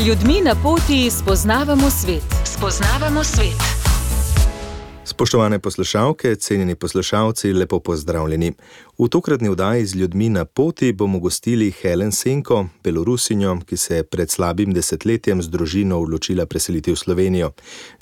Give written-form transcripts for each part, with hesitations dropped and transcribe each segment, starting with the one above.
ljudmi na poti spoznavamo svet. Spoznavamo svet. Spoštovane poslušalke, cenjeni poslušalci, lepo pozdravljeni. V tokratni oddaji z ljudmi na poti bomo gostili Helen Senko, Belorusinjo, ki se je pred slabim desetletjem z družino odločila preseliti v Slovenijo.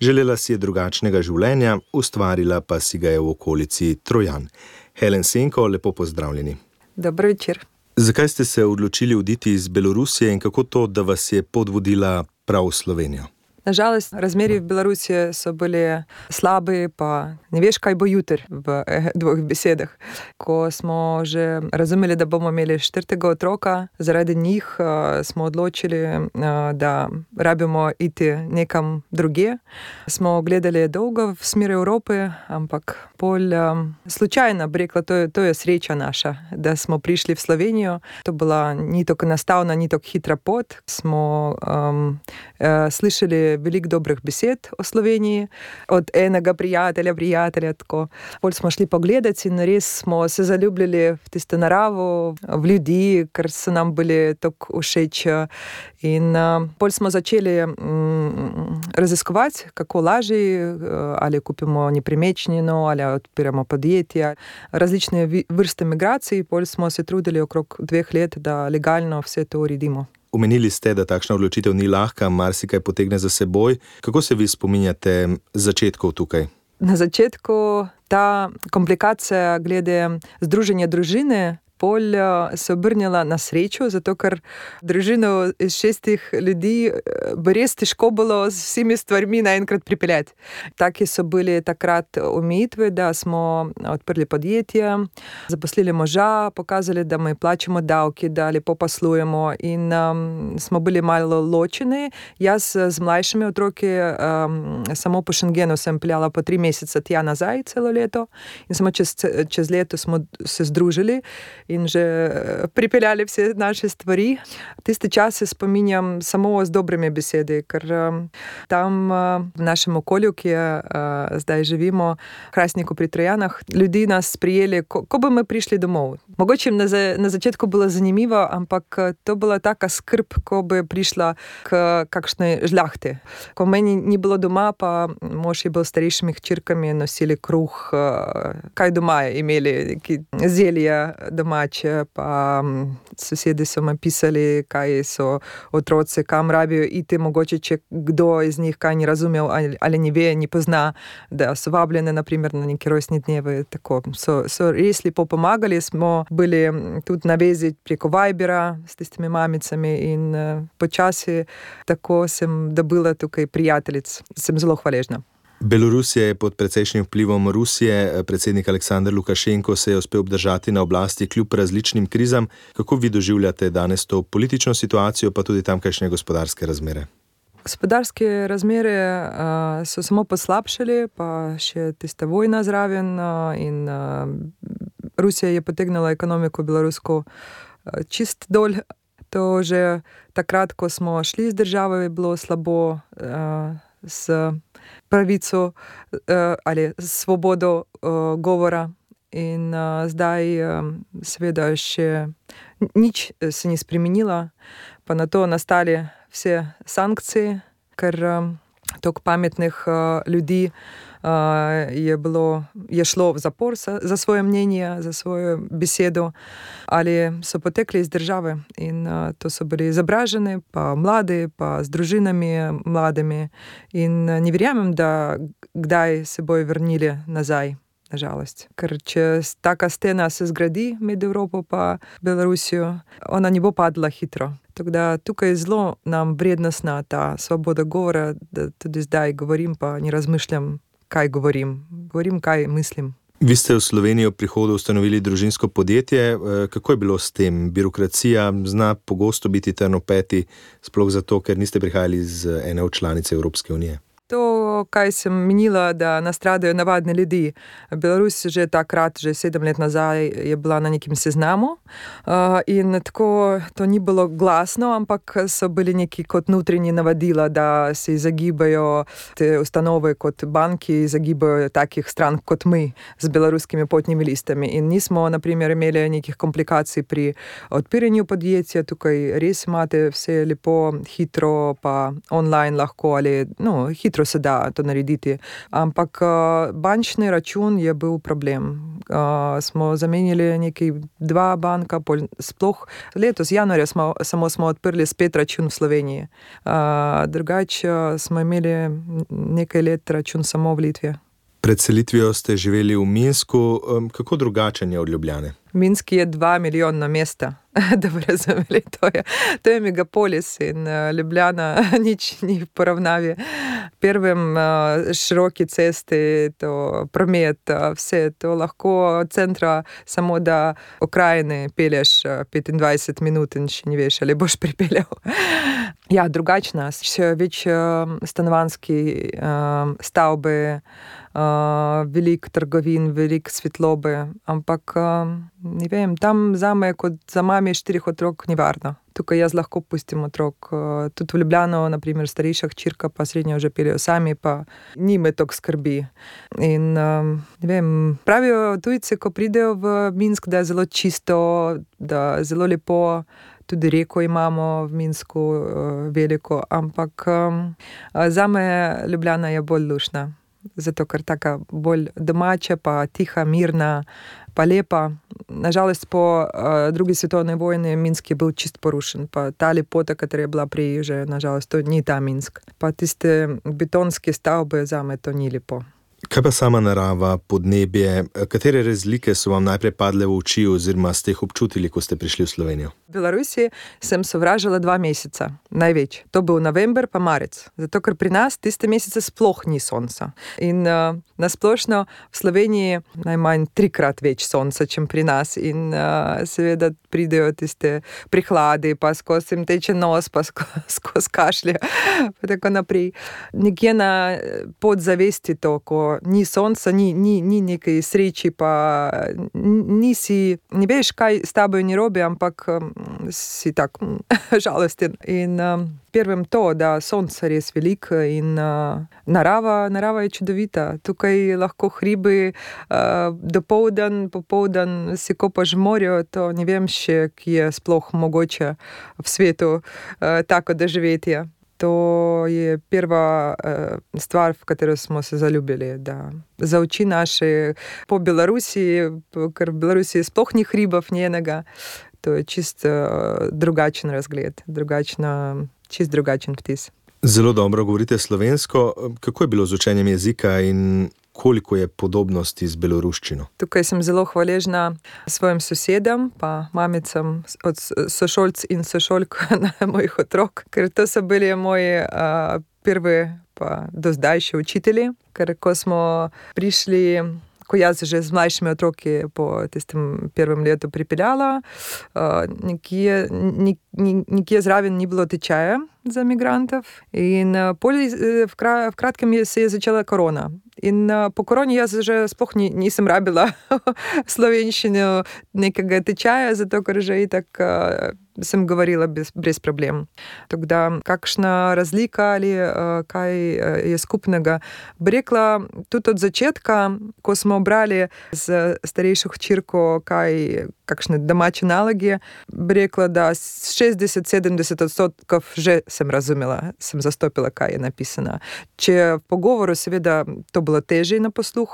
Želela si je drugačnega življenja, ustvarila pa si ga je v okolici Trojan. Helen Senko, lepo pozdravljeni. Dober večer. Zakaj ste se odločili oditi iz Belorusije in kako to, da vas je pot vodila prav v Slovenijo? Nažalost, razmeri v Belorusiji so bili slabi, pa ne veš, kaj bo jutri v dveh besedah. Ko smo že razumeli, da bomo imeli 4. otroka, zaradi njih smo odločili, da rabimo iti nekam druge. Smo gledali dolgo v smeri Evrope, ampak bolj slučajno bi rekla, to je sreča naša, da smo prišli v Slovenijo. To bila ni tako enostavna, ni tako hitra pot. Smo slišali veliko dobrih besed o Sloveniji, od enega prijatelja, tako. Bolj smo šli pogledati in res smo se zaljubljali v tisto naravo, v ljudi, ker so nam bili tako všeč. In bolj smo začeli raziskovati, kako lažje, ali kupimo nepremičnino, ali odpiramo podjetja, različne vrste migracij. Bolj smo se trudili okrog 2 let, da legalno vse to uredimo. Omenili ste, da takšna odločitev ni lahka, marsikaj potegne za seboj. Kako se vi spominjate začetkov tukaj? Na začetku ta komplikacija glede združenja družine bolj se obrnila na srečo, zato ker družino iz 6 ljudi bi res težko bilo z vsemi stvarmi naenkrat pripeljati. Taki so bili takrat omejitve, da smo odprli podjetje, zaposlili moža, pokazali, da mi plačamo davki, da lepo poslujemo in smo bili malo ločeni. Jaz z mlajšimi otroki samo po Schengenu sem peljala po 3 mesece tja nazaj celo leto in samo čez leto smo se združili in že pripeljali vse naše stvari. Tiste čase spominjam samo z dobrimi besedi, ker tam v našem okolju, ki je zdaj živimo, v Hrastniku pri Trojanah, ljudi nas prijeli, ko bi mi prišli domov. Mogoče jim na začetku bilo zanimivo, ampak to bila taka skrb, ko bi prišla k kakšnej žlahti. Ko meni ni bilo doma, pa mož je bil s starejšimi hčerkami, nosili kruh, kaj doma je imeli, zelje domače, pa sosedi so me pisali, kaj so otroci, kam rabijo iti, mogoče če kdo iz njih kaj ni razumel ali ne ve, ne pozna, da so vabljene naprimer na neki rojstni dnevi, tako. So res lepo pomagali, smo bili tudi na vezi preko Vibera s tistimi mamicami in počasi tako sem dobila tukaj prijateljic. Sem zelo hvaležna. Belorusija je pod precejšnjim vplivom Rusije. Predsednik Aleksandar Lukašenko se je uspel obdržati na oblasti kljub različnim krizam. Kako vi doživljate danes to politično situacijo, pa tudi tamkajšnje gospodarske razmere? Gospodarske razmere so samo poslabšali, pa še tista vojna zraven in Rusija je potegnila ekonomiko belorusko čist dol. To že takrat, ko smo šli z države, je bilo slabo s pravico ali svobodo govora in zdaj seveda še nič se ni spremenilo, pa na to nastali vse sankcije, ker toliko pametnih ljudi je šlo v zapor za svoje mnenje, za svojo besedo, ali so potekli iz države in to so bili izobraženi, pa mladi, pa z družinami mladimi in ne verjamem, da kdaj se bojo vrnili nazaj, nažalost. Ker če taka stena se zgradi med Evropo pa Belorusijo, ona ne bo padla hitro. Tako da tukaj je zelo nam vrednostna ta svoboda govora, da tudi zdaj govorim, pa ne razmišljam, kaj govorim. Govorim, kaj mislim. Vi ste v Slovenijo v prihodu ustanovili družinsko podjetje. Kako je bilo s tem? Birokracija zna pogosto biti trn v peti, sploh zato, ker niste prihajali iz ene od članic Evropske unije. To, kaj sem menila, da nastradajo navadni ljudi. Belarus že takrat, že 7 let nazaj, je bila na nekem seznamu. In tako to ni bilo glasno, ampak so bili neki kot notranji navadila, da se izogibajo te ustanove kot banki, izogibajo takih strank kot mi z beloruskimi potnimi listami. In nismo, na primer, imeli nekih komplikacij pri odpiranju podjetja. Tukaj res imate vse lepo, hitro, pa online lahko ali hitro se da to narediti. Ampak bančni račun je bil problem. Smo zamenjali nekaj 2 banka, sploh letos januarja samo smo odprli spet račun v Sloveniji. Drugače smo imeli nekaj let račun samo v Litvi. Pred selitvijo ste živeli v Minsku. Kako drugačen je od Ljubljane? Minsk je 2 milijona mesta, da bi razumeli. To je megapolis in Ljubljana nič ni v poravnavi. Prvem široki cesti, to promet, vse to lahko od centra samo da okrajine pelješ 25 minut in še ne veš, ali boš pripeljal. Ja, drugačna, še več stanovanjski stavbe, veliko trgovin, veliko svetlobe, ampak ne vem, tam zame kot za mami 4 otrok ni varno. Tukaj jaz lahko pustim otrok. Tudi v Ljubljano, na primer, starejša hčerka pa srednjo že peljejo sami, pa njime toliko skrbi. In ne vem, pravijo tujci, ko pridejo v Minsk, da je zelo čisto, da je zelo lepo. Tudi reko imamo v Minsku veliko, ampak zame Ljubljana je bolj lušna. Zato, ker taka bolj domača, pa tiha, mirna, pa lepa. Nažalost, po drugi svetovni vojni Minsk je bil čist porušen, pa ta lepota, katera je bila prej, že nažalost, to ni ta Minsk. Pa tiste betonske stavbe, zame to ni lepo. Kaj pa sama narava, podnebje, katere razlike so vam najprej padle v oči oziroma ste jih občutili, ko ste prišli v Slovenijo? V Belorusi sem sovražila 2 meseca, največ. To bil november pa marec, zato ker pri nas tiste mesece sploh ni sonca. In nasplošno v Sloveniji najmanj 3-krat več sonca, čem pri nas. In seveda pridejo tiste prihladi, pa skozi jim teče nos, pa skozi kašlje, pa tako naprej. Nekje na podzavesti to, ko ni sonca, ni nekaj sreči, pa nisi, ne veš, kaj s tabo ni robe, ampak si tak žalosten. In prvem to, da sonce res veliko in narava je čudovita. Tukaj lahko hribi dopoldan, popoldan si kopaš v morju, to ne vem še, ki je sploh mogoče v svetu tako doživetje. To je prva stvar, v katero smo se zaljubili, da za oči naše po Belorusiji, ker v Belorusiji sploh ni hribov njenega, to je čist drugačen razgled, čist drugačen vtis. Zelo dobro govorite slovensko. Kako je bilo z učenjem jezika in koliko je podobnosti z beloruščino? Tukaj sem zelo hvaležna svojim sosedem, pa mamicam od sošolc in sošolk mojih otrok, ker to so bili moji prvi pa do zdaj še učitelji, ker ko smo prišli, ko jaz že z mlajšimi otroki po tistem prvem letu pripeljala, nikje zraven ni bilo tečaja za migrantov in v kratkem se je začela korona. In po koroni jaz že sploh nisem rabila slovenščino nekega tečaja, zato ker že itak sem govorila brez problem. Tako da, kakšna razlika ali kaj je skupnega. Bi rekla, tudi od začetka, ko smo brali z starejšo hčerko kakšne domače naloge, bi rekla, da 60-70% že sem razumela, sem zastopila, kaj je napisano. Če v pogovoru, seveda, to bilo težje na posluh,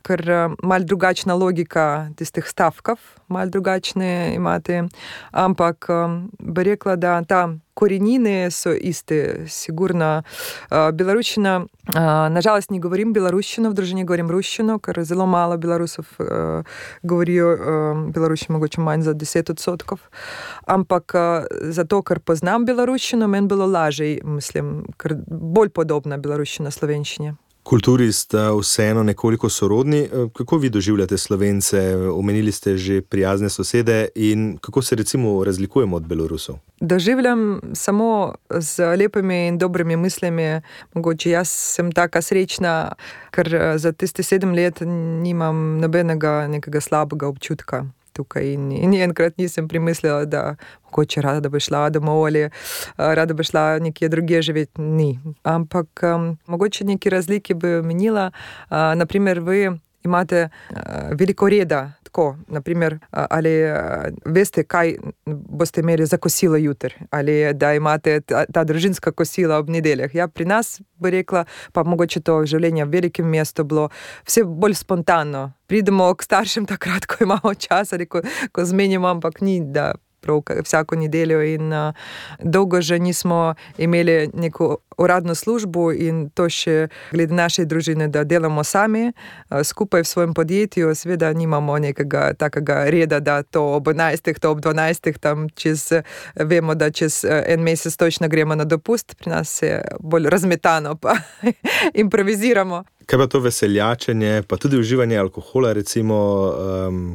ker malo drugačna logika tistih stavkov, malo drugačne imate, ampak bi rekla, da ta korenine so iste, sigurno. Beloruščina, nažalost ne govorim beloruščino, v družini govorim ruščino, ker zelo malo Belorusov govorijo beloruščino, mogoče manj za 10%. Ampak zato, ker poznam beloruščino, meni bilo lažje, mislim, ker bolj podobna beloruščina slovenščini. Kulturi sta vseeno nekoliko sorodni. Kako vi doživljate Slovence? Omenili ste že prijazne sosede in kako se recimo razlikujemo od Belorusov? Doživljam samo z lepimi in dobrimi mislimi. Mogoče jaz sem taka srečna, ker za tiste 7 let nimam nobenega nekega slabega občutka tukaj in enkrat nisem premislila, da mogoče rada bi šla domov ali rada bi šla nekje drugje živeti. Ni. Ampak mogoče neki razliki bi menila. Naprimer, vi imate veliko reda. Tako, naprimer, ali veste, kaj boste imeli za kosilo jutri, ali da imate ta družinska kosila ob nedeljah. Ja, pri nas bi rekla, pa mogoče to življenje v velikem mestu bilo vse bolj spontano. Pridemo k staršem takrat, ko imamo čas ali ko zmenimo, ampak ni, da prav vsako nedeljo in dolgo že nismo imeli neko uradno službo in to še glede naše družine, da delamo sami skupaj v svojem podjetju. Seveda nimamo nekega takega reda, da to ob 11, to ob 12, tam vemo, da čez en mesec točno gremo na dopust. Pri nas je bolj razmetano, pa improviziramo. Kaj pa to veseljačenje, pa tudi uživanje alkohola, recimo,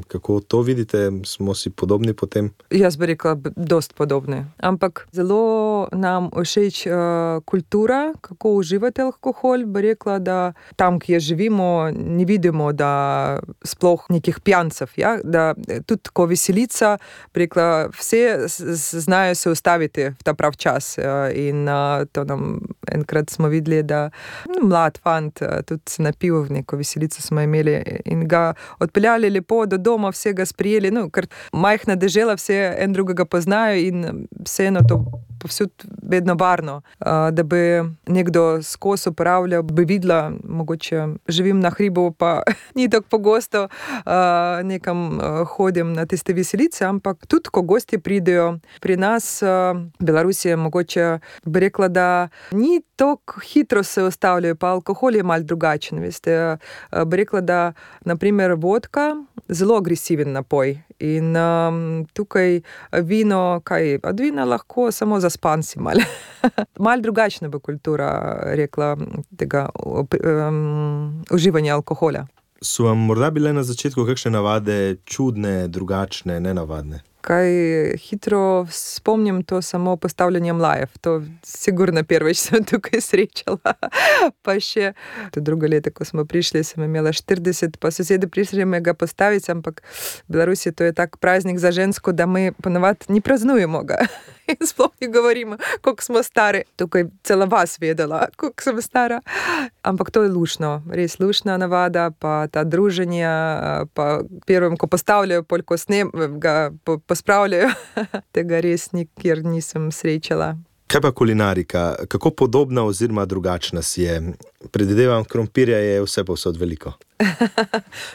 kako to vidite? Smo si podobni potem? Jaz bi rekla, dost podobni. Ampak zelo nam všeč kultura, kako uživati alkohol. Bi rekla, da tam, kjer živimo, ne vidimo, da sploh nekih pijancev. Ja? Da tudi ko veselica, bi rekla, vse znajo se ustaviti v ta prav čas. In to nam enkrat smo videli, da mlad fant tudi se napil, neko veselico smo imeli in ga odpeljali lepo do doma, vse ga sprijeli, ker majhna dežela, vse en drugega poznajo in vseeno to povsod vedno varno. Da bi nekdo skozi uporabljal, bi videla, mogoče živim na hribu, pa ni tako pogosto nekam hodim na tiste veselice, ampak tudi, ko gosti pridejo pri nas, Belorusije, mogoče bi rekla, da ni tako hitro se ustavljajo, pa alkohol je malo drugačen, veste. Bi rekla, da naprimer vodka, zelo agresiven napoj in tukaj vino, od vina lahko samo zaspan si malo. Malo drugačna bo kultura, rekla, tega uživanja alkohola. So vam morda bile na začetku kakšne navade čudne, drugačne, nenavadne? Kaj hitro spomnim, to samo postavljanje mlajev. To sigurno prvič sem tukaj srečala. Pa še to drugo leto, ko smo prišli, sem imela 40, pa sosedi prišli me ga postaviti, ampak v Belorusiji to je tak praznik za žensko, da mi ponovadi ni praznujemo ga. In sploh ne govorimo, koliko smo stari. Tukaj cela vas vedela, koliko sem stara. Ampak to je lušno, res lušna navada, pa ta druženja, pa prvim, ko postavljajo, ko ga pospravljajo, tega res nikjer nisem srečala. Kaj pa kulinarika? Kako podobna oziroma drugačna si je? Predvidevam, krompirja je vse povsod veliko.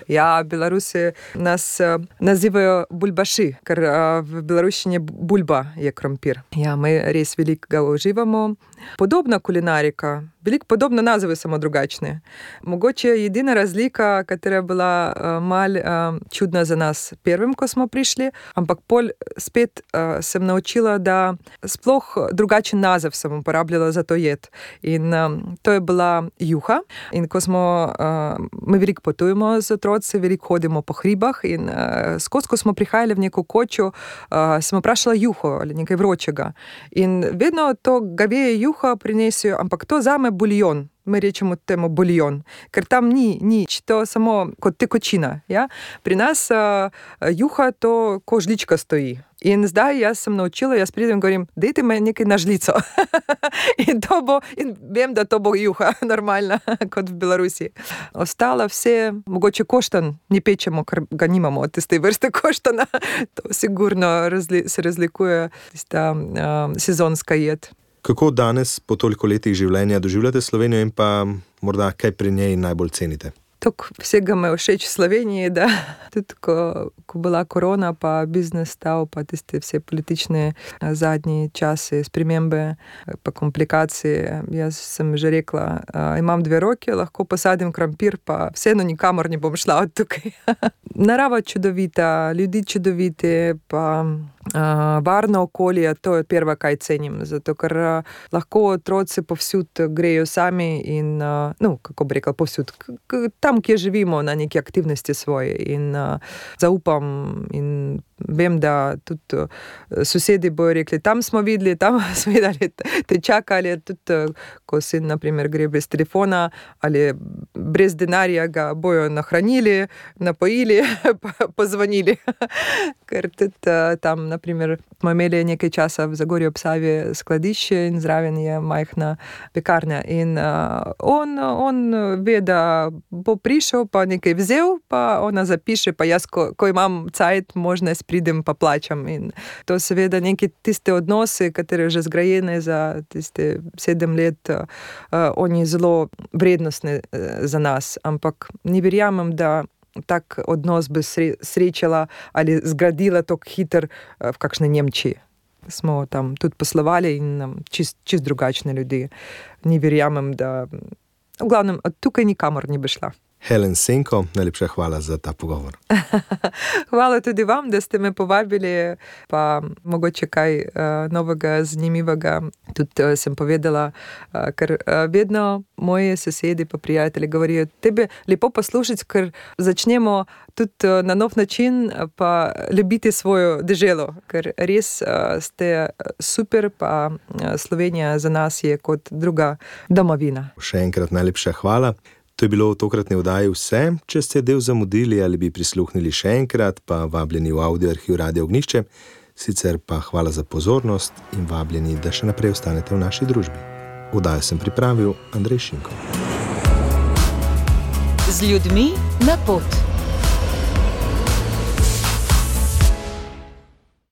Ja, Belorusi nas nazivajo bulbaši, ker v beloruščini bulba je krompir. Ja, mi res veliko ga uživamo. Podobna kulinarika, veliko podobne nazive, samo drugačne. Mogoče edina razlika, katera je bila malo čudna za nas prvim, ko smo prišli, ampak pol spet sem naučila, da sploh drugačen naziv sem uporabljala za to jed. In to je bila juha. In ko smo, mi veliko potujemo z otroci, veliko hodimo po hribah in skozi, ko smo prihajali v neko kočo, sem vprašala juho ali nekaj vročega. In vedno to gaveje juha prinesijo, ampak to zame buljon. Mi rečemo temu buljon, ker tam ni nič, to samo kot tekočina. Ja? Pri nas juha to ko žlička stoji. In zdaj jaz sem naučila, jaz pridem in govorim, dajte me nekaj na žlico. in vem, da to bo juha, normalna, kot v Belorusiji. Ostalo vse, mogoče koštan ne pečemo, ker ga nimamo od tiste vrste koštana. To sigurno se razlikuje tista sezonska jed. Kako danes, po toliko letih življenja, doživljate Slovenijo in pa morda kaj pri njej najbolj cenite? Tako vsega me všeč v Sloveniji, da tudi ko bila korona, pa biznes stal, pa tiste vse politične zadnji časi, spremembe, pa komplikacije. Jaz sem že rekla, imam 2 roke, lahko posadim krompir, pa vseeno nikamor ne bom šla od tukaj. Narava čudovita, ljudi čudoviti, pa varno okolje, to je prvo, kaj cenim, zato ker lahko otroci povsod grejo sami in, kako bi rekel, povsod, tam, kjer živimo, na neki aktivnosti svoje in zaupam in vem, da tudi sosedi bojo rekli, tam smo videli, tam smo videli, te čakali, tudi ko sin, na primer, gre brez telefona ali brez denarja, ga bojo nahranili, napojili, pozvonili, ker tudi tam, na primer, smo imeli nekaj časa v Zagorju ob Savi skladišče in zraven je majhna pekarna in on ve, da bo prišel, pa nekaj vzel, pa ona zapiše, pa jaz, ko imam cajt, možnost pridem pa plačam in to seveda neki tiste odnose, katere že zgrajene za tiste 7 let, oni zelo vrednostne za nas, ampak ne verjamem, da tak odnos bi srečala ali zgradila tako hiter v kakšni Nemčiji. Smo tam tudi poslovali in čist drugačni ljudje. Ne verjamem, da v glavnem tukaj nikamor ne bi šla. Helen Senko, najlepša hvala za ta pogovor. Hvala tudi vam, da ste me povabili, pa mogoče kaj novega, zanimivega. Tudi sem povedala, ker vedno moji sosedi pa prijatelji govorijo, tebe lepo poslušati, ker začnemo tudi na nov način pa ljubiti svojo deželo, ker res ste super, pa Slovenija za nas je kot druga domovina. Še enkrat najlepša hvala. To je bilo v tokratni oddaji vse. Če ste del zamudili ali bi prisluhnili še enkrat, pa vabljeni v audio arhiv Radia Ognjišče. Sicer pa hvala za pozornost in vabljeni, da še naprej ostanete v naši družbi. Oddajo sem pripravil Andrej Šinko. Z ljudmi na pot.